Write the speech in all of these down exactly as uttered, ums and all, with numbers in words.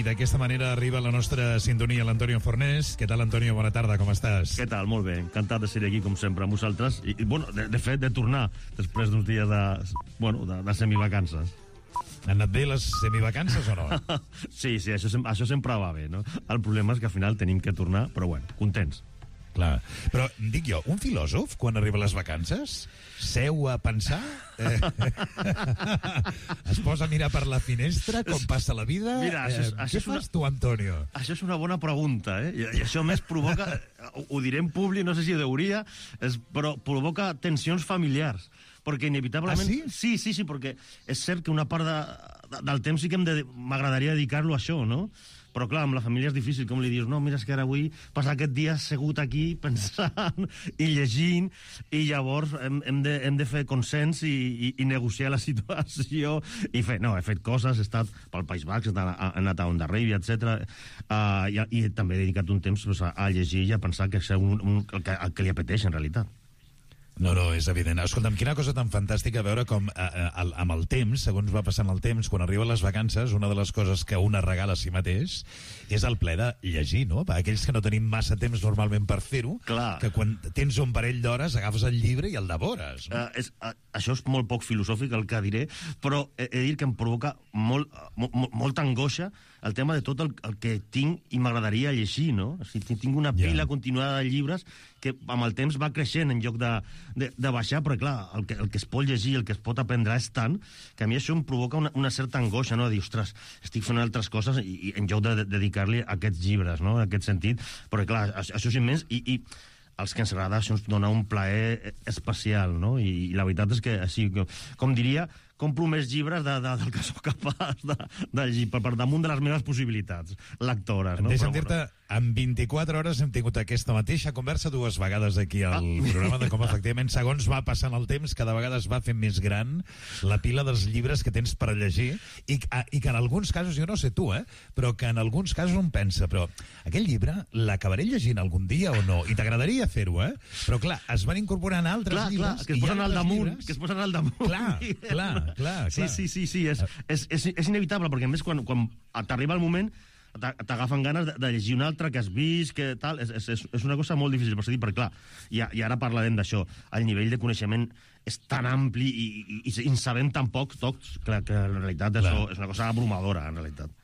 i d'aquesta manera arriba a la nostra sintonia l'Antonio Fornés. Què tal, Antonio? Bona tarda, com estàs? Què tal? Molt bé, encantat de ser aquí, com sempre, amb vosaltres. I, i bueno, de, de fet, de tornar després d'uns dies de, bueno, de, de semivacances. Han anat bé les semivacances o no? Sí, sí, això, això sempre va bé, no? El problema és que al final tenim que tornar, però bueno, contents. Clar, però dic jo, un filòsof, quan arriba a les vacances, seu a pensar, eh, es posa a mirar per la finestra com passa la vida. Mira, això és, eh, això què és una, fas tu, Antonio? Això és una bona pregunta, eh? I, i això més provoca, ho, ho diré en públic, no sé si ho hauria, és, però provoca tensions familiars. Perquè inevitablement... Ah, sí? Sí, sí, sí, perquè és cert que una part de, de, del temps sí que de, m'agradaria dedicar-lo a això, no? Però clar, amb la família és difícil, com li dius, no, mira, és que ara avui passar aquest dia assegut aquí pensant i llegint, i llavors hem, hem, de, hem de fer consens i, i, i negociar la situació i fer, no, he fet coses, he estat pel País Basc, he anat a Onda Ràbia, etcètera. Uh, i, i també he dedicat un temps pues, a, a llegir i a pensar que és un, un, el, que, el que li apeteix en realitat. No, no, és evident. Escolta'm, quina cosa tan fantàstica veure com eh, el, amb el temps, segons va passant el temps, quan arriben les vacances, una de les coses que una regala a si mateix és el ple de llegir, no? Per aquells que no tenim massa temps normalment per fer-ho, que quan tens un parell d'hores agafes el llibre i el devores. No? Uh, és, uh, això és molt poc filosòfic el que diré, però he, he de dir que em provoca molt, mo, mo, molta angoixa el tema de tot el, el que tinc i m'agradaria llegir, no? O sigui, tinc una pila yeah. continuada de llibres que amb el temps va creixent en lloc de, de, de baixar, però clar, el que, el que es pot llegir, el que es pot aprendre és tant, que a mi això em provoca una, una certa angoixa, no? De dir, ostres, estic fent altres coses i, i en lloc de, de dedicar-li a aquests llibres, no? En aquest sentit, però clar, això és immens i, i els que ens agrada això ens dona un plaer especial, no? I, i la veritat és que, així, com diria, compro més llibres de, de, del que sóc capaç de, de llegir, per, per damunt de les meves possibilitats lectores, no? Deixa'm dir-te, en vint-i-quatre hores hem tingut aquesta mateixa conversa dues vegades aquí al ah. programa de com efectivament, segons va passant el temps, cada vegada es va fent més gran la pila dels llibres que tens per llegir i, i que en alguns casos, jo no sé tu, eh, però que en alguns casos un pensa, però aquell llibre l'acabaré llegint algun dia o no? I t'agradaria fer-ho, eh? Però clar, es van incorporant altres clar, llibres... Clar, que es posen al damunt, llibres... que es posen al damunt. Clar, clar, clar, clar. Sí, sí, sí, sí, és, és, és, és inevitable, perquè a més quan, quan t'arriba el moment t'agafen ganes de, de llegir un altre que has vist, que tal, és, és, és una cosa molt difícil, per dir, perquè clar, i, i ara parlarem d'això, el nivell de coneixement és tan ampli i, i, i, i en sabem tan pocs tocs, clar, que en realitat això és una cosa abrumadora, en realitat.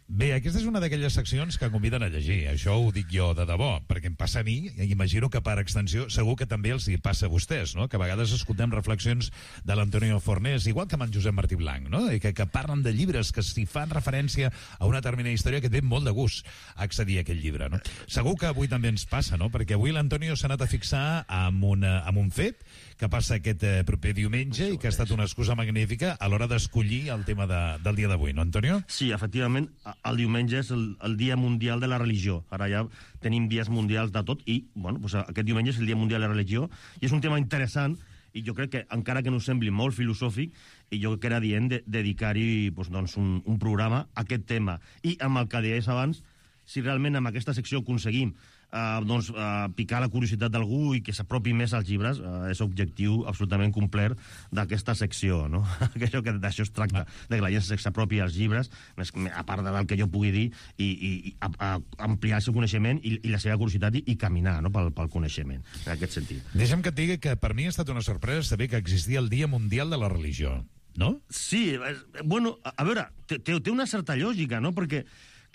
Bé, aquesta és una d'aquelles seccions que conviden a llegir, això ho dic jo de debò, perquè em passa a mi, i imagino que per extensió segur que també els hi passa a vostès, no? Que a vegades escoltem reflexions de l'Antonio Fornés, igual que amb en Josep Martí Blanc, no? I que, que parlen de llibres que si fan referència a una determinada història que té molt de gust accedir a aquell llibre, no? Segur que avui també ens passa, no? Perquè avui l'Antonio s'ha anat a fixar amb, una, amb un fet que passa aquest eh, proper diumenge i que ha estat una excusa magnífica a l'hora d'escollir el tema de, del dia d'avui, no, Antonio? Sí, efectivament, el diumenge és el, el Dia Mundial de la Religió. Ara ja tenim dies mundials de tot i, bueno, pues aquest diumenge és el Dia Mundial de la Religió i és un tema interessant i jo crec que, encara que no sembli molt filosòfic, i jo crec que era dient de, dedicar-hi pues, doncs, un, un programa a aquest tema. I amb el que deies abans, si realment amb aquesta secció aconseguim eh, doncs, eh, picar la curiositat d'algú i que s'apropi més als llibres, eh, és objectiu absolutament complet d'aquesta secció, no? Que això, que d'això es tracta, ah. de que la gent s'apropi als llibres, més, a part del que jo pugui dir, i, i, i a, a ampliar el seu coneixement i, i la seva curiositat i, i caminar, no? pel, pel coneixement, en aquest sentit. Deixa'm que et digui que per mi ha estat una sorpresa saber que existia el Dia Mundial de la Religió, no? Sí, bueno, a, a veure, té, té una certa lògica, no? Perquè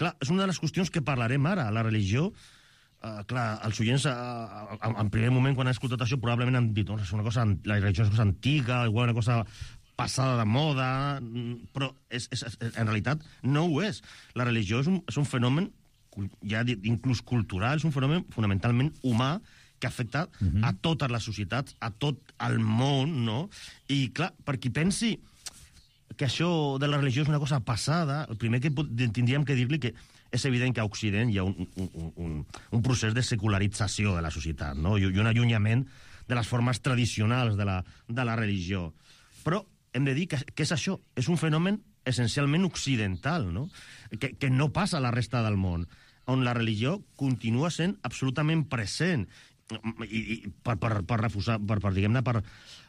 clar, és una de les qüestions que parlarem ara. La religió, eh, clar, els oients, eh, en primer moment, quan han escoltat això, probablement han dit, oh, és una cosa, la religió és una cosa antiga, igual una cosa passada de moda, però és, és, en realitat no ho és. La religió és un, és un fenomen, ja inclús cultural, és un fenomen fonamentalment humà, que afecta uh-huh. a totes les societats, a tot el món, no? I, clar, per qui pensi que això de la religió és una cosa passada, el primer que tindríem que dir-li que és evident que a Occident hi ha un, un, un, un procés de secularització de la societat, no? I un allunyament de les formes tradicionals de la, de la religió. Però hem de dir que, que és això, és un fenomen essencialment occidental, no? Que, que no passa a la resta del món, on la religió continua sent absolutament present i, i per, per, per refusar, per, per diguem-ne, per uh,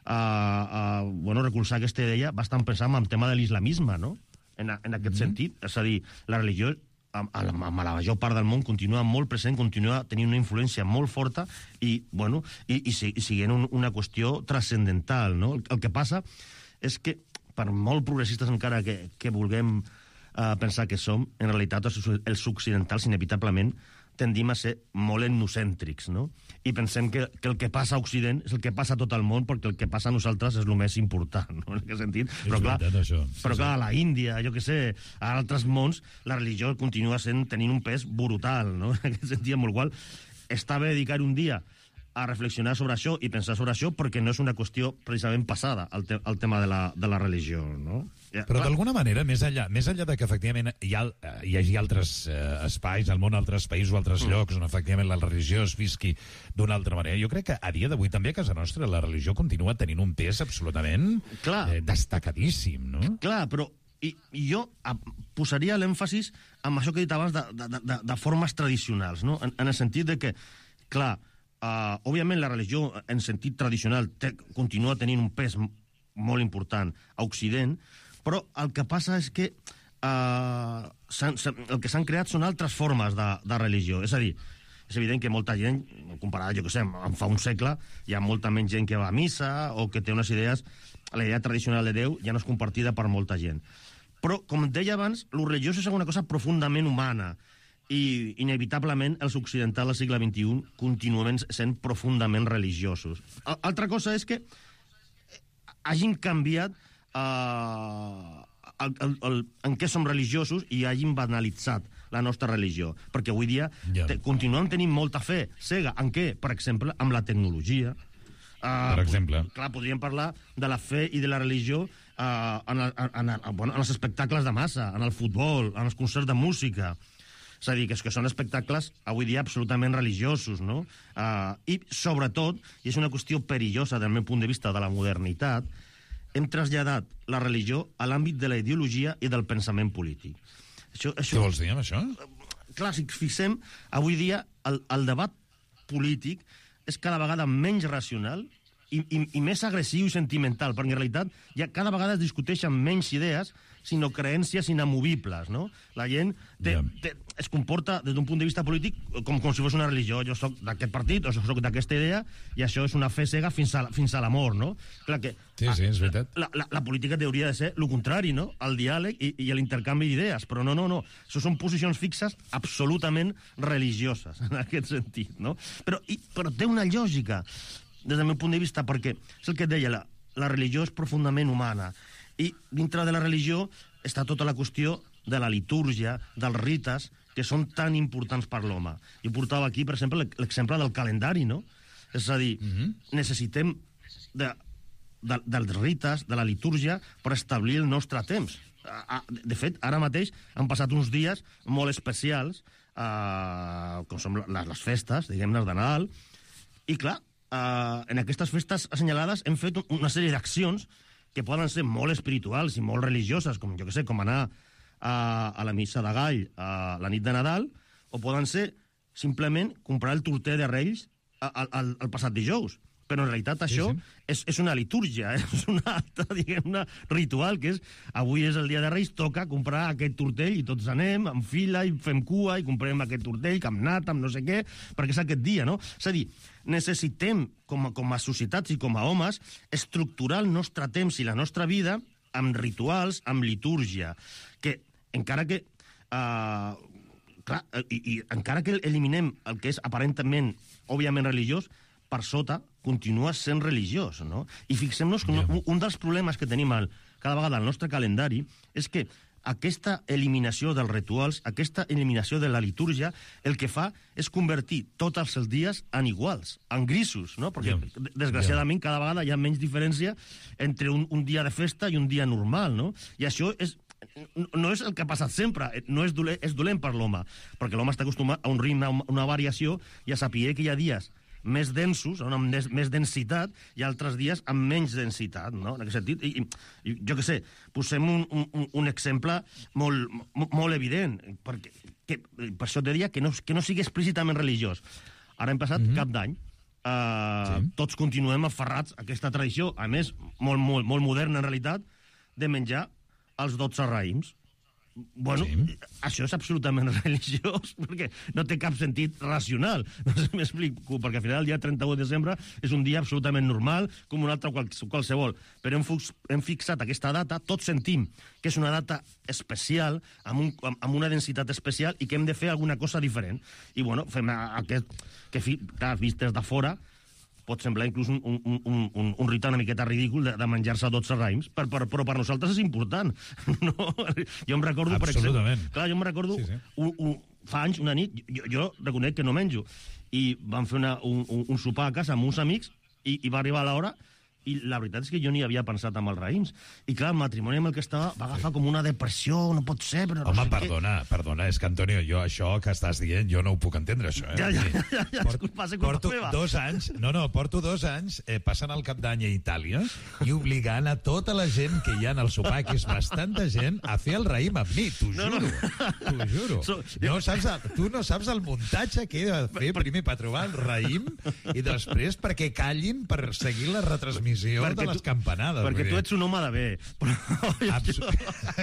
uh, bueno, recolzar aquesta idea bastant pensant en el tema de l'islamisme, no? en, en aquest mm-hmm. sentit. És a dir, la religió, amb, amb la major part del món, continua molt present, continua tenint una influència molt forta i, bueno, i, i, i siguent un, una qüestió transcendental, no? El, el que passa és que, per molt progressistes encara que, que vulguem uh, pensar que som, en realitat els, els occidentals inevitablement tendim a ser molt etnocèntrics, no? I pensem que, que el que passa a Occident és el que passa a tot el món, perquè el que passa a nosaltres és el més important, no? En aquest sentit. És però clar, veritat, això. Sí, però clar, sí. a la Índia, jo què sé, a altres mons, la religió continua sent, tenint un pes brutal, no? En aquest sentit, amb el qual està bé dedicar un dia a reflexionar sobre això i pensar sobre això, perquè no és una qüestió precisament passada al, te al tema de la, de la religió, no? Ja, però d'alguna manera, més enllà, més enllà de que efectivament hi, ha, hi hagi altres eh, espais al món, altres països o altres mm. llocs on efectivament la religió es visqui d'una altra manera, jo crec que a dia d'avui també a casa nostra la religió continua tenint un pes absolutament eh, destacadíssim, no? Clar, però i, i jo a, posaria l'èmfasis en això que he dit abans de, de, de, de formes tradicionals, no? En, en el sentit de que, clar, Uh, òbviament la religió en sentit tradicional té, continua tenint un pes molt important a Occident, però el que passa és que uh, s'han, el que s'han creat són altres formes de, de religió. És a dir, és evident que molta gent, comparat, jo què sé, en fa un segle, hi ha molta menys gent que va a missa o que té unes idees, la idea tradicional de Déu ja no és compartida per molta gent. Però, com deia abans, lo religiós és una cosa profundament humana, i inevitablement els occidentals del segle vint-i-u continuen sent profundament religiosos. Altra cosa és que hagin canviat uh, el, el, el, en què som religiosos i hagin banalitzat la nostra religió. Perquè avui dia yeah. te, continuem tenint molta fe cega. En què? Per exemple, amb la tecnologia. Uh, per exemple. Clar, podríem parlar de la fe i de la religió uh, en, el, en, en, bueno, en els espectacles de massa, en el futbol, en els concerts de música. És a dir, que, és que són espectacles avui dia absolutament religiosos, no? Uh, I, sobretot, i és una qüestió perillosa del meu punt de vista de la modernitat, hem traslladat la religió a l'àmbit de la ideologia i del pensament polític. Això, això, què vols dir amb això? Clar, si fixem, avui dia el, el debat polític és cada vegada menys racional i, i, i més agressiu i sentimental, perquè en realitat ja cada vegada es discuteixen menys idees, sinó creències inamovibles, no? La gent té, yeah. té, es comporta des d'un punt de vista polític com, com si fos una religió. Jo soc d'aquest partit o soc d'aquesta idea i això és una fe cega fins a, fins a la mort, no? Clar que sí, sí, és veritat. La, la, la política hauria de ser el contrari, no? El diàleg i, i l'intercanvi d'idees, però no, no, no. Això són posicions fixes absolutament religioses, en aquest sentit, no? Però, i, però té una lògica, des del meu punt de vista, perquè és el que et deia, la, la religió és profundament humana. I dintre de la religió està tota la qüestió de la litúrgia, dels rites, que són tan importants per l'home. Jo portava aquí, per exemple, l'exemple del calendari, no? És a dir, mm-hmm. necessitem de, de, dels rites, de la litúrgia, per establir el nostre temps. De fet, ara mateix han passat uns dies molt especials, eh, com són les festes, diguem-ne, de Nadal, i clar, eh, en aquestes festes assenyalades hem fet una sèrie d'accions que poden ser molt espirituals i molt religioses, com jo que sé, com anar a, a la missa de gall a la nit de Nadal, o poden ser simplement comprar el torter de Reis al, al, al passat dijous. Però en realitat això sí, sí. És, és una litúrgia, eh? És una altra, diguem-ne, ritual, que és, avui és el dia de Reis, toca comprar aquest tortell i tots anem en fila i fem cua i comprem aquest tortell, amb nata, amb no sé què, perquè és aquest dia, no? És a dir, necessitem, com a, com a societats i com a homes, estructurar el nostre temps i la nostra vida amb rituals, amb litúrgia, que encara que... Uh, clar, i, i encara que eliminem el que és aparentment, òbviament religiós, per sota continua sent religiós, no? I fixem-nos que un, un dels problemes que tenim al, cada vegada al nostre calendari és que aquesta eliminació dels rituals, aquesta eliminació de la litúrgia, el que fa és convertir tots els dies en iguals, en grisos, no? Perquè, yeah. desgraciadament, cada vegada hi ha menys diferència entre un, un dia de festa i un dia normal, no? I això és... no és el que ha passat sempre, no és dolent, és dolent per l'home, perquè l'home està acostumat a un ritme, a una variació, i a saber que hi ha dies més densos, amb més, més densitat, i altres dies amb menys densitat, no? En aquest sentit, i, i jo què sé, posem un, un, un exemple molt, molt evident, perquè, que, per això te deia que no, que no sigui explícitament religiós. Ara hem passat mm-hmm. cap d'any, uh, sí. tots continuem aferrats a aquesta tradició, a més, molt, molt, molt moderna en realitat, de menjar els dotze raïms. Bueno, sí. Això és absolutament religiós, perquè no té cap sentit racional. No sé si m'explico, perquè al final el dia trenta-u de desembre és un dia absolutament normal, com un altre qual, qualsevol. Però hem, hem fixat aquesta data, tots sentim que és una data especial, amb, un, amb una densitat especial, i que hem de fer alguna cosa diferent. I, bueno, fem aquest, que, clar, vist des de fora, pot semblar inclús un, un, un, un, un rit una miqueta ridícul de, de menjar-se dotze raïms, per, per, però per nosaltres és important. No? Jo em recordo, per exemple... Clar, jo em recordo, sí, sí. Un, un, fa anys, una nit, jo, jo reconec que no menjo, i vam fer una, un, un, un sopar a casa amb uns amics, i, i va arribar l'hora, i la veritat és que jo ni havia pensat amb els raïms. I clar, el matrimoni amb el que estava va agafar com una depressió, no pot ser, però no Home, sé perdona, què. perdona, és que, Antonio, jo això que estàs dient, jo no ho puc entendre, això, eh? Ja, ja, ja, ja, ja Port, disculpa, és culpa porto meva. dos anys, no, no, porto dos anys eh, passant el cap d'any a Itàlia i obligant a tota la gent que hi ha en el sopar, que és bastanta gent, a fer el raïm amb mi, t'ho No, juro, no. t'ho juro. So, no saps, tu no saps el muntatge que he de fer primer per trobar el raïm i després perquè callin per seguir la retransmissió Perquè de les tu- campanades. Perquè tu ets un home de bé. Però Absu...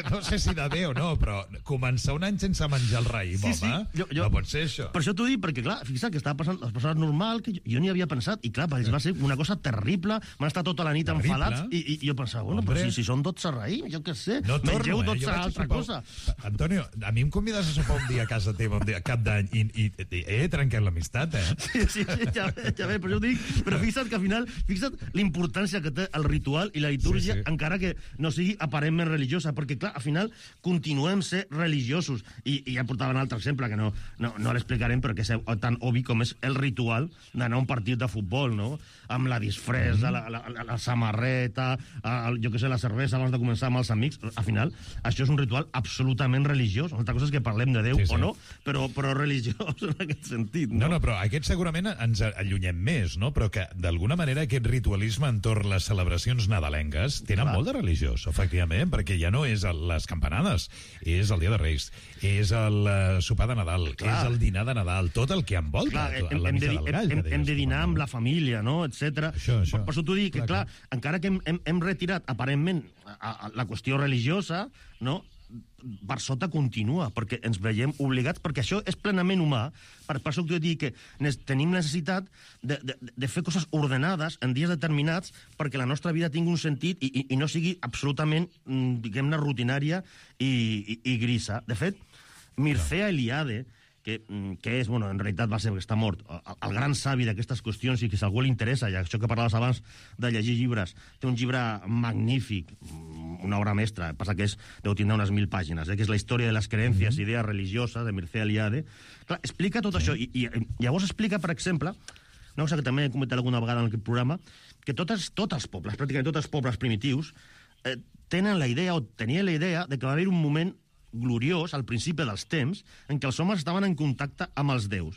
No sé si de bé o no, però començar un any sense menjar el raïm, Sí, sí, home, jo- jo- no pot ser això. Per això t'ho dic, perquè, clar, fixa't que estava passant les persones normal, que jo, jo ni havia pensat, i clar, per ells va ser una cosa terrible, van estar tota la nit Terrible. enfadats, i, i, i jo pensava, bueno, Hombre. però si, si són dotze raïms, jo què sé, No torno, mengeu eh? Jo dotze vaig a altra sopar- cosa. Antonio, a mi em convides a sopar un dia a casa teva, un dia, cap d'any, i, i, i he trencat l'amistat, eh? Sí, sí, sí, ja, ja ve, per això ho dic, però fixa't que al final, fixa't l'importància que té el ritual i la litúrgia, Sí, sí. encara que no sigui aparentment religiosa, perquè, clar, al final continuem ser religiosos, i, i ja portava un altre exemple, que no, no, no l'explicarem, però que és tan obvi com és el ritual d'anar a un partit de futbol, no?, amb la disfressa, mm. la, la, la, la samarreta, el, jo què sé, la cervesa abans de començar amb els amics. Al final, això és un ritual absolutament religiós. Una altra cosa és que parlem de Déu Sí, sí. o no, però, però religiós en aquest sentit, No, no? no, però aquest segurament ens allunyem més, no? Però que, d'alguna manera, aquest ritualisme entorn les celebracions nadalenques tenen Clar. molt de religiós, efectivament, perquè ja no és el, les campanades, és el Dia de Reis, és el uh, sopar de Nadal, Clar. és el dinar de Nadal, tot el que envolta Clar, la hem, hem, de, missa del gall. hem, que hem deies de tu, dinar amb no? la família, no?, etcètera. Això, això. Per, per això t'ho dic, que, Clar, clar, encara que hem, hem, hem retirat, aparentment, a, a, la qüestió religiosa, no?, per sota continua, perquè ens veiem obligats, perquè això és plenament humà. Per, per això t'ho dic que nes, tenim necessitat de, de, de fer coses ordenades en dies determinats perquè la nostra vida tingui un sentit i, i, i no sigui absolutament, diguem-ne, rutinària i, i, i grisa. De fet, Mircea Eliade, que, que és, bueno, en realitat va ser que està mort, el, el gran savi d'aquestes qüestions, i que si a algú li interessa, i això que parlaves abans de llegir llibres, té un llibre magnífic, una obra mestra, passa que és, deu tindre unes mil pàgines, eh, que és la història de les creences, mm -hmm. idees religioses, de Mircea Eliade. Clar, explica tot sí. això, i, i llavors explica, per exemple, una cosa que també he comentat alguna vegada en aquest programa, que totes, tots els pobles, pràcticament tots els pobles primitius, eh, tenen la idea, o tenien la idea, de que va haver un moment gloriós, al principi dels temps, en què els homes estaven en contacte amb els déus.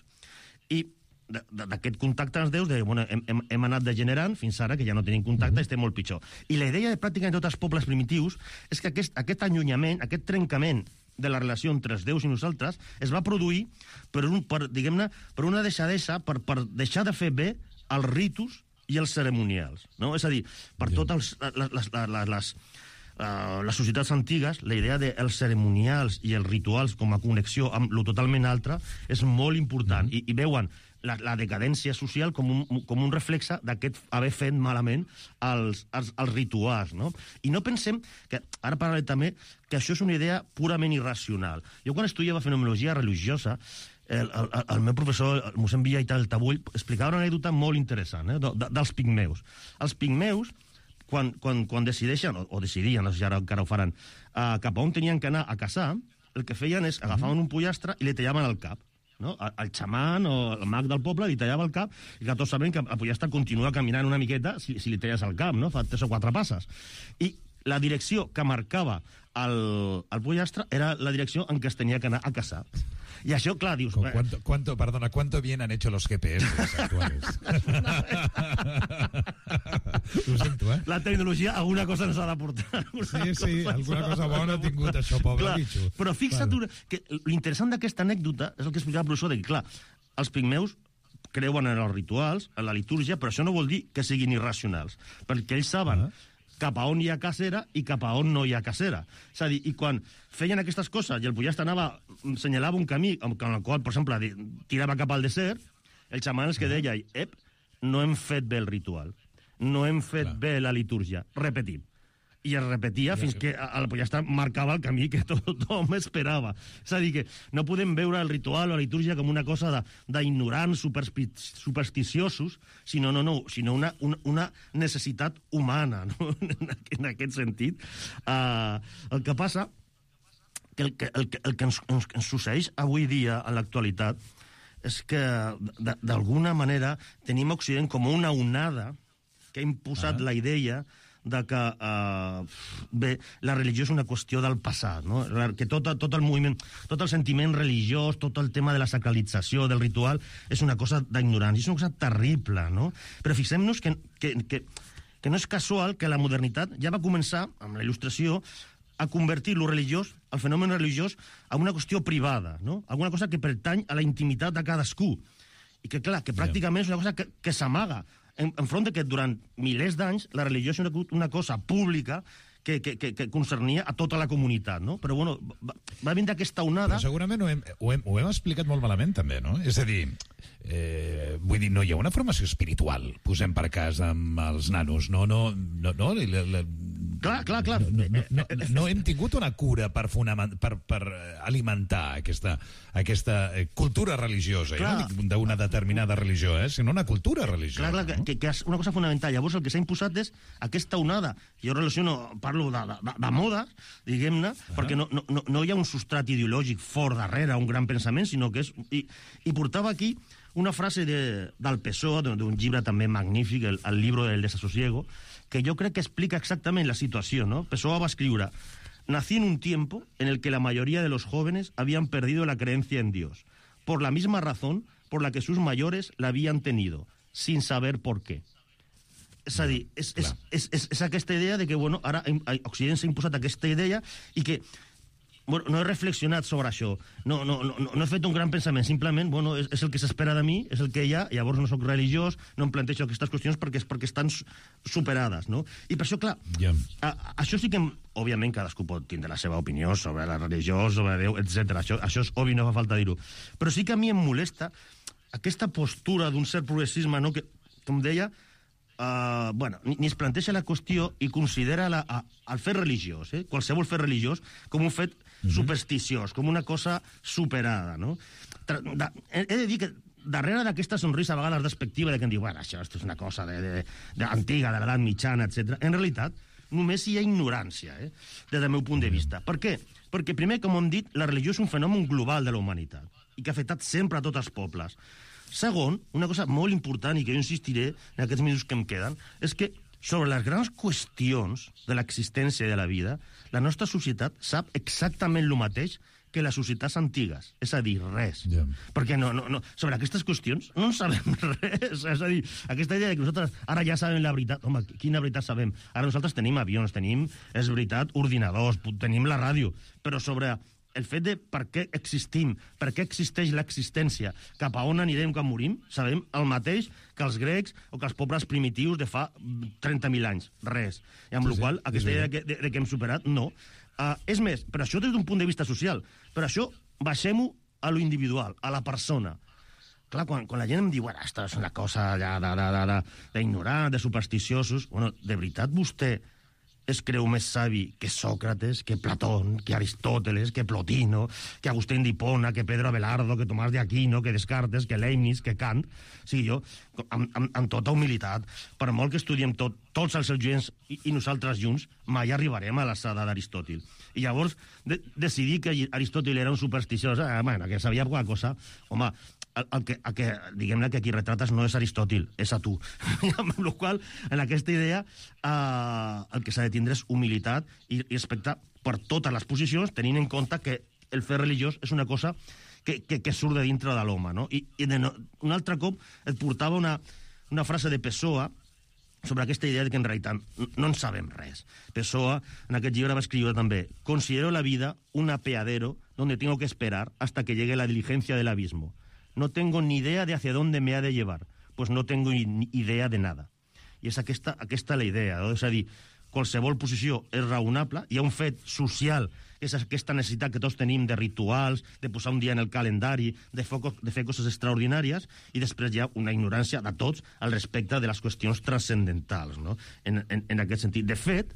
I d'aquest contacte amb els déus, de, bueno, hem, hem, hem anat degenerant fins ara, que ja no tenim contacte, mm-hmm. estem molt pitjor. I la idea de pràcticament tots els pobles primitius és que aquest, aquest allunyament, aquest trencament de la relació entre els déus i nosaltres es va produir per, un, per, diguem-ne, per una deixadesa, per, per deixar de fer bé els ritus i els ceremonials. No? És a dir, per yeah. totes les... les, les, les Uh, les societats antigues, la idea dels ceremonials i els rituals com a connexió amb lo totalment altre és molt important, mm. I, i veuen la, la decadència social com un, com un reflexe d'aquest haver fet malament els, els, els rituals, no? I no pensem que, ara parlaré també, que això és una idea purament irracional. Jo quan estudiava fenomenologia religiosa, el, el, el meu professor, el mossèn Villa i tal, el Tabull, explicava una anècdota molt interessant, eh, de, de, dels pigmeus. Els pigmeus, Quan, quan, quan decideixen, o, o decidien, no sé si ara encara ho faran, uh, cap a on tenien que anar a caçar, el que feien és agafaven un pollastre i li tallaven el cap. No? El, el xaman o el mag del poble li tallava el cap, i que tots sabem que el pollastre continua caminant una miqueta si, si li talles el cap, no? Fa tres o quatre passes. I la direcció que marcava el, el pollastre era la direcció en què es tenia que anar a caçar. I això, clar, dius... ¿Cuánto, cuánto, perdona, ¿cuánto bien han hecho los G P S actuales? Ho sento, eh? La tecnologia alguna cosa ens ha d'aportar. Sí, sí, alguna cosa bona ha tingut això, pobre clar, bitxo. Però fixa't Vale. que l'interessant d'aquesta anècdota és el que explicava el professor, de que, clar, els pigmeus creuen en els rituals, en la litúrgia, però això no vol dir que siguin irracionals, perquè ells saben... Uh -huh. cap a on hi ha cacera i cap a on no hi ha cacera. És a dir, i quan feien aquestes coses i el Pujasta anava, senyalava un camí amb el qual, per exemple, tirava cap al desert, el xaman és que deia, ep, no hem fet bé el ritual, no hem fet Clar. bé la litúrgia, repetim. I es repetia fins que el Pujasta marcava el camí que tot, tothom esperava. És a dir, que no podem veure el ritual o la litúrgia com una cosa d'ignorants, supersticiosos, sinó, no, no, sinó una, una, una necessitat humana, no? En aquest sentit. Uh, el que passa que el que, el que, el que ens, ens, ens succeeix avui dia, en l'actualitat, és que, d'alguna manera, tenim a Occident com una onada que ha imposat ah. la idea de que, uh, bé, la religió és una qüestió del passat, no? Que tot, tot el moviment, tot el sentiment religiós, tot el tema de la sacralització, del ritual, és una cosa d'ignorància, és una cosa terrible, no? Però fixem-nos que, que, que, que no és casual que la modernitat ja va començar, amb la il·lustració, a convertir lo religiós, el fenomen religiós, a una qüestió privada, no? Alguna cosa que pertany a la intimitat de cadascú. I que, clar, que pràcticament és una cosa que, que s'amaga, En, enfront de que durant milers d'anys la religió és una, una cosa pública que, que, que, que concernia a tota la comunitat, no? Però, bueno, va, va vindre aquesta onada... Però segurament ho hem, ho, hem, ho hem explicat molt malament, també, no? És a dir, eh, vull dir, no hi ha una formació espiritual, posem per cas amb els nanos, no, no, no, no, la, la, Clar, clar, clar. No, no, no, no, no hem tingut una cura per, fonament, per, per alimentar aquesta, aquesta cultura religiosa, eh? No dic d'una determinada religió, eh? Sinó una cultura religiosa. Clar, clar, no? que, que és una cosa fonamental. Llavors el que s'ha imposat és aquesta onada. Jo relaciono, parlo de, de, de moda, diguem-ne, uh-huh. perquè no, no, no hi ha un substrat ideològic fort darrere, un gran pensament, sinó que és... I, i portava aquí una frase de, del Pessoa, d'un llibre també magnífic, el, el Libro del Desasosiego, que yo creo que explica exactamente la situación, ¿no? Pessoa va a escribir: nací en un tiempo en el que la mayoría de los jóvenes habían perdido la creencia en Dios, por la misma razón por la que sus mayores la habían tenido, sin saber por qué. És a dir, és, és, és, és, és aquesta idea de que, bueno, ara a Occident s'ha imposat aquesta idea i que, bueno, no he reflexionat sobre això, no, no, no, no he fet un gran pensament, simplement, bueno, és, és el que s'espera de mi, és el que hi ha, llavors no sóc religiós, no em plantejo aquestes qüestions perquè és perquè estan superades, no? I per això, clar, yeah. a, a, això sí que, òbviament, cadascú pot tindre la seva opinió sobre la religió, sobre Déu, etcètera. Això, això és obvi, no fa falta dir-ho. Però sí que a mi em molesta aquesta postura d'un cert progressisme, no?, que, com deia, Uh, bueno, ni, ni es planteja la qüestió i considera la, a, el fet religiós, eh? qualsevol fet religiós, com un fet mm-hmm. supersticiós, com una cosa superada, no? Tra, da, he, he de dir que darrere d'aquesta sonrisa a vegades despectiva de que em diu, bueno, això, això és una cosa de, de, de antiga, de l'edat mitjana, etcètera. En realitat, només hi ha ignorància, eh? des del meu punt de vista. Per què? Perquè, primer, com hem dit, la religió és un fenomen global de la humanitat i que ha afectat sempre a tots els pobles. Segon, una cosa molt important i que jo insistiré en aquests minuts que em queden, és que sobre les grans qüestions de l'existència de la vida, la nostra societat sap exactament el mateix que les societats antigues, és a dir, res. Yeah. Perquè no, no, no, sobre aquestes qüestions no en sabem res. És a dir, aquesta idea de que nosaltres ara ja sabem la veritat, home, quina veritat sabem? Ara nosaltres tenim avions, tenim, és veritat, ordinadors, tenim la ràdio, però sobre el fet de per què existim, per què existeix l'existència, cap a on anirem quan morim, sabem el mateix que els grecs o que els pobles primitius de fa trenta mil anys. Res. I amb sí, la qual cosa, aquesta idea de que, de, de que hem superat, no. Uh, és més, però això des d'un punt de vista social, però això baixem-ho a lo individual, a la persona. Clar, quan, quan la gent em diu, bueno, això és una cosa d'ignorant, de supersticiosos, bueno, de veritat vostè es creu més savi que Sòcrates, que Platón, que Aristòteles, que Plotino, que Agustín d'Hipona, que Pedro Abelardo, que Tomàs de Aquino, que Descartes, que Leibniz, que Kant. O sigui, jo, amb, amb, amb tota humilitat, per molt que estudiem tot, tots els seus gens i, i nosaltres junts, mai arribarem a l'alçada d'Aristòtil. I llavors, de, decidir que Aristòtil era un supersticiós, eh, bueno, que sabia alguna cosa, home, el, el que, el que, diguem-ne que qui retrates no és Aristòtil, és a tu. Amb la qual cosa, en aquesta idea, eh, el que s'ha de tindre és humilitat i, i respecte per totes les posicions, tenint en compte que el fet religiós és una cosa que, que, que surt de dintre de l'home, no? I, i de no, un altre cop et portava una, una frase de Pessoa sobre aquesta idea de que en realitat no en sabem res. Pessoa, en aquest llibre, va escriure també: considero la vida un apeadero donde tengo que esperar hasta que llegue la diligencia del abismo. No tengo ni idea de hacia dónde me ha de llevar, pues no tengo ni idea de nada. I és aquesta, aquesta la idea, no? És a dir, qualsevol posició és raonable, hi ha un fet social, és aquesta necessitat que tots tenim de rituals, de posar un dia en el calendari, de, foco, de fer coses extraordinàries, i després hi ha una ignorància de tots al respecte de les qüestions transcendentals, no? en, en, en aquest sentit. De fet,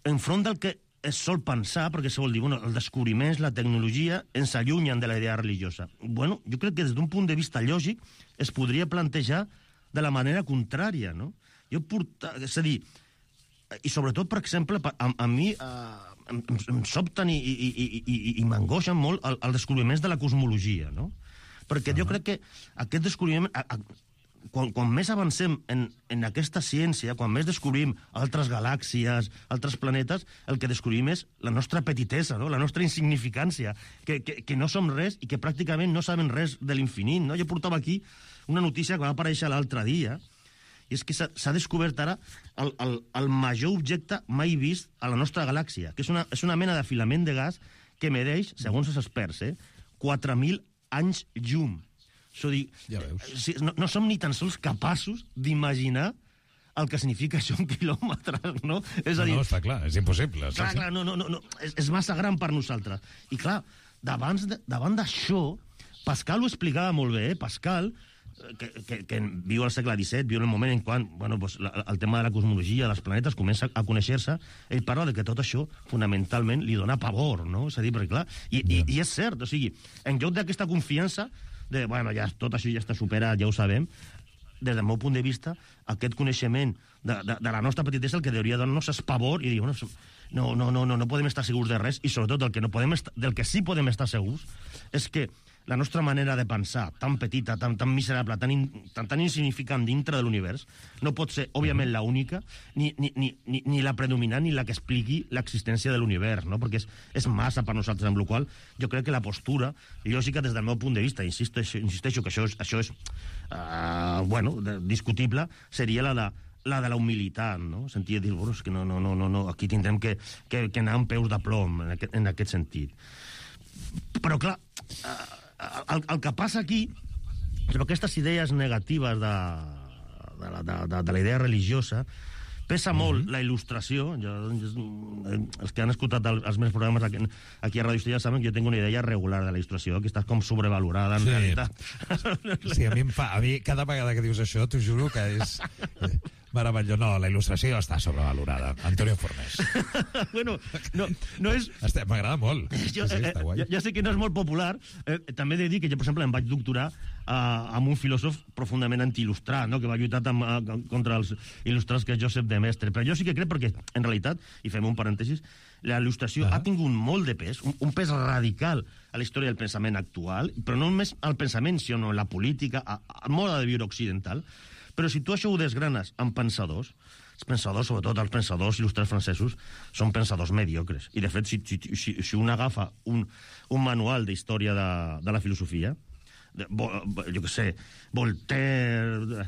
enfront del que es sol pensar, perquè se vol dir, bueno, els descobriments, la tecnologia, ens allunyen de la idea religiosa. Bueno, jo crec que des d'un punt de vista lògic es podria plantejar de la manera contrària, no? Jo porta, és a dir, i sobretot, per exemple, a, a mi eh, em, em sobten i, i, i, i, i m'angoixen molt els el descobriments de la cosmologia, no? Perquè uh-huh. jo crec que aquest descobriment... A, a, quan, quan més avancem en, en aquesta ciència, quan més descobrim altres galàxies, altres planetes, el que descobrim és la nostra petitesa, no? La nostra insignificància, que, que, que no som res i que pràcticament no sabem res de l'infinit, no? Jo portava aquí una notícia que va aparèixer l'altre dia, i és que s'ha descobert ara el, el, el major objecte mai vist a la nostra galàxia, que és una, és una mena de filament de gas que medeix, segons els experts, eh, quatre mil anys llum. Això dir, ja veus. Si, no, no som ni tan sols capaços d'imaginar el que significa això en quilòmetres, no? És a dir, no, no, està clar, és impossible. Clar, clar, no, no, no, no. És, és massa gran per nosaltres. I clar, davant d'això, Pascal ho explicava molt bé, eh? Pascal, que, que, que viu al segle disset, viu en el moment en quan bueno, pues, la, el tema de la cosmologia, dels planetes, comença a conèixer-se, ell parla de que tot això, fonamentalment, li dona pavor, no? És a dir, perquè clar, i, yeah. i, i és cert, o sigui, en lloc d'aquesta confiança, de, bueno, ja, tot això ja està superat, ja ho sabem, des del meu punt de vista, aquest coneixement de, de, de la nostra petitesa el que hauria de donar-nos és pavor i dir, bueno, no, no, no, no, no podem estar segurs de res, i sobretot del que, no podem estar, del que sí podem estar segurs és que la nostra manera de pensar, tan petita, tan, tan miserable, tan, in, tan, tan insignificant dintre de l'univers, no pot ser, òbviament, la única, ni, ni, ni, ni la predominant, ni la que expliqui l'existència de l'univers, no? Perquè és, és massa per nosaltres, amb la qual jo crec que la postura lògica des del meu punt de vista, insisteixo, insisteixo que això és, això és uh, bueno, discutible, seria la de la de la humilitat, no? Sentia dir, bueno, és que no, no, no, no, aquí tindrem que, que, que anar amb peus de plom en aquest, en aquest sentit. Però, clar, uh, El, el que passa aquí, però aquestes idees negatives de, de, la, de, de, de la idea religiosa, pesa mm-hmm. molt la il·lustració. Jo, els que han escoltat el, els meus programes aquí, aquí a Ràdio Estella saben que jo tinc una idea regular de la il·lustració, que està com sobrevalorada en sí. realitat. Sí, a mi, em fa, a mi cada vegada que dius això, t'ho juro que és... meravellós. No, la il·lustració està sobrevalorada. Antonio Fornés. Bueno, no, no és... M'agrada molt. Jo, sí, eh, ja, ja sé que no és molt popular. Eh, també he de dir que jo, per exemple, em vaig doctorar eh, amb un filòsof profundament anti-il·lustrat, no? Que va lluitar amb, eh, contra els il·lustrats, que és Josep de Mestre. Però jo sí que crec perquè, en realitat, i fem un parèntesis, la il·lustració ah. ha tingut molt de pes, un, un pes radical a la història del pensament actual, però no només al pensament, sinó en la política, al mode de viure occidental. Però si tu això ho desgranes amb pensadors, els pensadors, sobretot els pensadors il·lustrats francesos, són pensadors mediocres. I, de fet, si, si, si, si un agafa un, un manual d'història de, de la filosofia, de, jo què sé, Voltaire,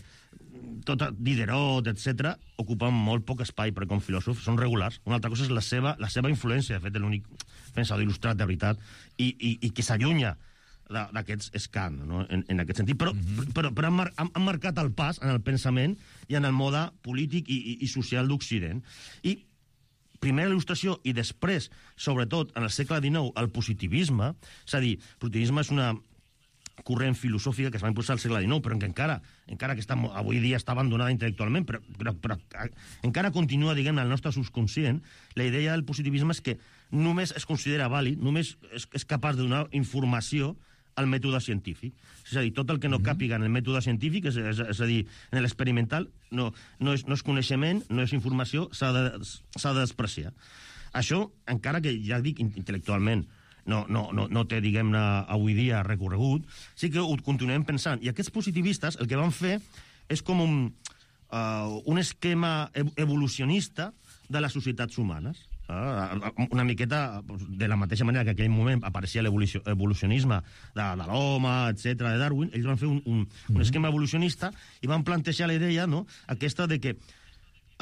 tot, Diderot, etcètera, ocupen molt poc espai, perquè com filòsofs són regulars. Una altra cosa és la seva, la seva influència, de fet, l'únic pensador il·lustrat de veritat, i, i, i que s'allunya d'aquests és Kant, no? en, en aquest sentit. Però, mm-hmm. però, però han, mar, han, han marcat el pas en el pensament i en el mode polític i, i, i social d'Occident. I primer la il·lustració i després, sobretot, en el segle dinou, el positivisme, és a dir, el positivisme és una corrent filosòfica que es va impulsar al segle dinou, però que encara, encara que està, avui dia està abandonada intel·lectualment, però, però, però encara continua, diguem, al nostre subconscient. La idea del positivisme és que només es considera vàlid, només és, és capaç de donar informació al mètode científic. És a dir, tot el que no càpiga en el mètode científic, és, és, és a dir, en l'experimental, no, no, és, no és coneixement, no és informació, s'ha de, s'ha de despreciar. Això, encara que, ja dic, intel·lectualment, no, no, no, no té, diguem-ne, avui dia recorregut, sí que ho continuem pensant. I aquests positivistes el que van fer és com un, uh, un esquema evolucionista de les societats humanes. Una miqueta de la mateixa manera que en aquell moment apareixia l'evolucionisme de, de l'home, etcètera, de Darwin. Ells van fer un, un, un esquema evolucionista i van plantejar la idea, no?, aquesta de que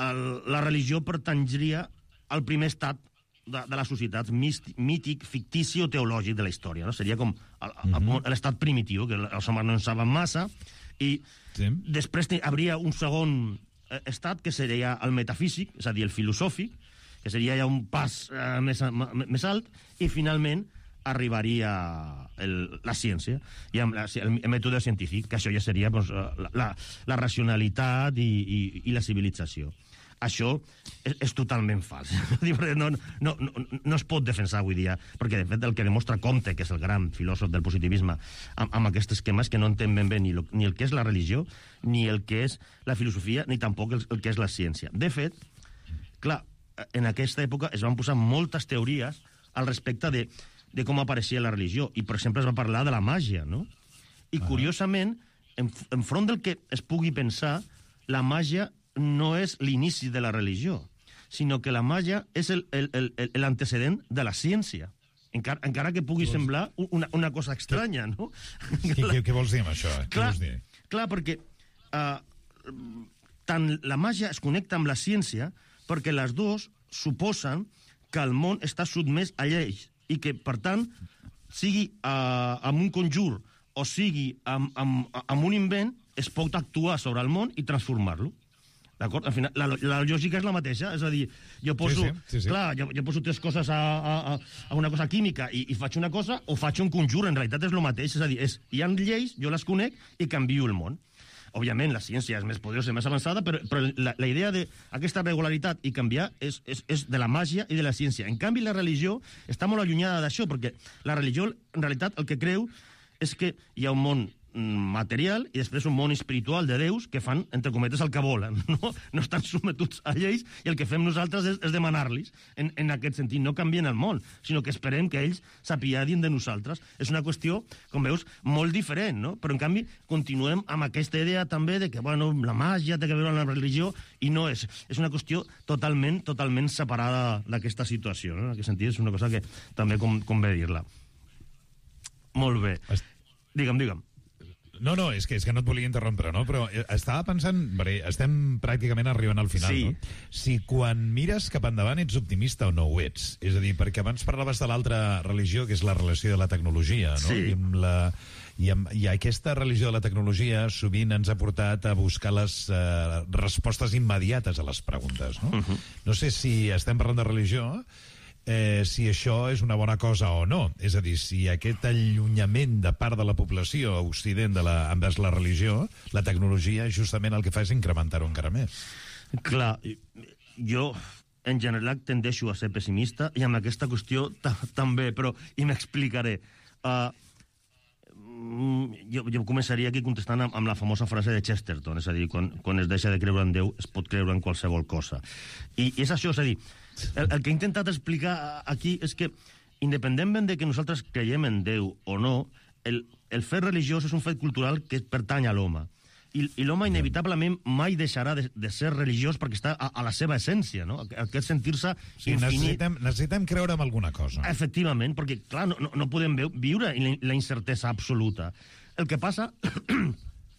el, la religió pertanyria al primer estat de, de les societats mític, fictici o teològic de la història, no? Seria com l'estat primitiu, que els homes no en saben massa, i sí. després hi hauria un segon estat que seria el metafísic, és a dir, el filosòfic, que seria ja un pas eh, més, més alt, i finalment arribaria el, la ciència, i amb la, el, el mètode científic, que això ja seria doncs, la, la, la racionalitat i, i, i la civilització. Això és, és totalment fals. No, no, no, no es pot defensar avui dia, perquè de fet el que demostra Comte, que és el gran filòsof del positivisme, amb, amb aquest esquema és que no entén ben bé ni, lo, ni el que és la religió, ni el que és la filosofia, ni tampoc el, el que és la ciència. De fet, clar, en aquesta època es van posar moltes teories al respecte de de com apareixia la religió. I, per exemple, es va parlar de la màgia, no? I, ah. curiosament, en, enfront del que es pugui pensar, la màgia no és l'inici de la religió, sinó que la màgia és l'antecedent de la ciència. Encara, encara que pugui semblar una, una cosa estranya, no? Què, què, què vols dir amb això? Clar, què vols dir? Clar, perquè uh, tant la màgia es connecta amb la ciència perquè les dues suposen que el món està sotmès a lleis i que, per tant, sigui uh, amb un conjur o sigui amb, amb, amb un invent, es pot actuar sobre el món i transformar-lo. D'acord? Al final, la, la lògica és la mateixa, és a dir, jo poso, sí, sí, sí, sí. Clar, jo, jo poso tres coses a, a, a una cosa química i, i faig una cosa o faig un conjur, en realitat és el mateix, és a dir, és, hi ha lleis, jo les conec i canvio el món. Òbviament, la ciència és més poderosa i més avançada, però, però la, la idea d'aquesta regularitat i canviar és, és, és de la màgia i de la ciència. En canvi, la religió està molt allunyada d'això, perquè la religió, en realitat, el que creu és que hi ha un món material i després un món espiritual de déus que fan, entre cometes, el que volen. No, no estan sometuts a lleis i el que fem nosaltres és, és demanar-los en, en aquest sentit. No canvien el món, sinó que esperem que ells s'apiadin de nosaltres. És una qüestió, com veus, molt diferent, no? Però, en canvi, continuem amb aquesta idea també de que, bueno, la màgia té que veure amb la religió i no és. És una qüestió totalment, totalment separada d'aquesta situació, no? En aquest sentit, és una cosa que també com, convé dir-la. Molt bé. Digue'm, digue'm. No, no, és que, és que no et volia interrompre, no? Però estava pensant, perquè estem pràcticament arribant al final, sí. no? Si quan mires cap endavant ets optimista o no ho ets. És a dir, perquè abans parlaves de l'altra religió, que és la relació de la tecnologia, no? Sí. I, amb la, i, amb, I aquesta religió de la tecnologia sovint ens ha portat a buscar les uh, respostes immediates a les preguntes, no? Uh-huh. No sé si estem parlant de religió, Eh, si això és una bona cosa o no. És a dir, si aquest allunyament de part de la població a Occident de la, envers la religió, la tecnologia justament el que fa és incrementar-ho encara més. Clar, jo en general tendeixo a ser pessimista i amb aquesta qüestió també, però i m'explicaré. Uh, jo, jo començaria aquí contestant amb, amb la famosa frase de Chesterton, és a dir, quan, quan es deixa de creure en Déu es pot creure en qualsevol cosa. I, i és això, és a dir, El, el que he intentat explicar aquí és que, independentment de que nosaltres creiem en Déu o no, el, el fet religiós és un fet cultural que pertany a l'home. I, i l'home inevitablement mai deixarà de, de ser religiós perquè està a, a la seva essència, no? Aquest sentir-se sí, infinit. Necessitem, necessitem creure en alguna cosa. Efectivament, perquè, clar, no, no, no podem viure en la incertesa absoluta. El que passa...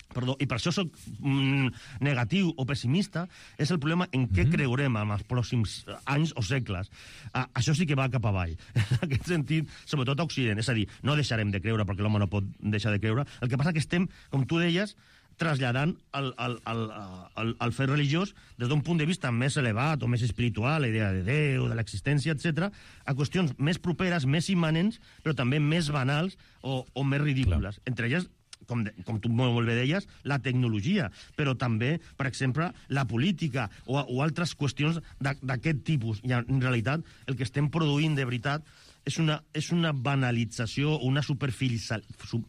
Perdó, i per això soc mm, negatiu o pessimista, és el problema en què mm-hmm. creurem en els pròxims anys o segles. Ah, això sí que va cap avall. En aquest sentit, sobretot a Occident. És a dir, no deixarem de creure perquè l'home no pot deixar de creure. El que passa que estem, com tu deies, traslladant el, el, el, el, el fet religiós des d'un punt de vista més elevat o més espiritual, la idea de Déu, de l'existència, etcètera, a qüestions més properes, més immanents, però també més banals o, o més ridícules. Clar. Entre elles, com, de, com tu molt bé deies, la tecnologia, però també, per exemple, la política o, o altres qüestions d'aquest tipus. I en realitat el que estem produint de veritat és una, és una banalització, una superficial, su,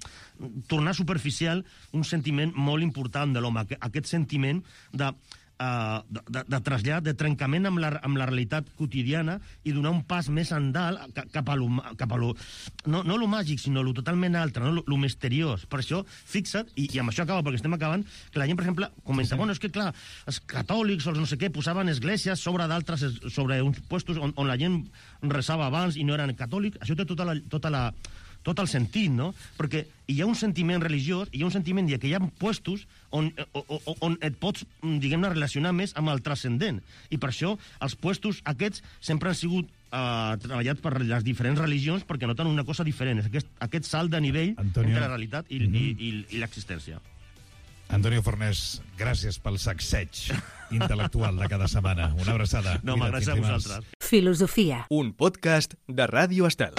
tornar superficial un sentiment molt important de l'home, aquest sentiment de... Uh, de, de, de trasllat, de trencament amb la, amb la realitat quotidiana i donar un pas més endalt cap a lo, cap a lo, no, no lo màgic, sinó lo totalment altre, no? lo, lo misteriós. Per això, fixa't, i, i amb això acaba, perquè estem acabant, que la gent, per exemple, comenta, sí, sí. bueno, és que, clar, els catòlics o els no sé què posaven esglésies sobre d'altres, sobre uns puestos on, on la gent resava abans i no eren catòlics. Això té tota la... Tota la tot el sentit, no? Perquè hi ha un sentiment religiós, hi ha un sentiment de que hi ha puestos on, on, on et pots, diguem-ne, relacionar més amb el transcendent. I per això els puestos aquests sempre han sigut eh, treballats per les diferents religions perquè noten una cosa diferent, aquest, aquest salt de nivell Antonio. Entre la realitat i, mm-hmm. i, i, i l'existència. Antonio Fornés, gràcies pel sacseig intel·lectual de cada setmana. Una abraçada. No, gràcies a vosaltres. Filosofia. Un podcast de Ràdio Estel.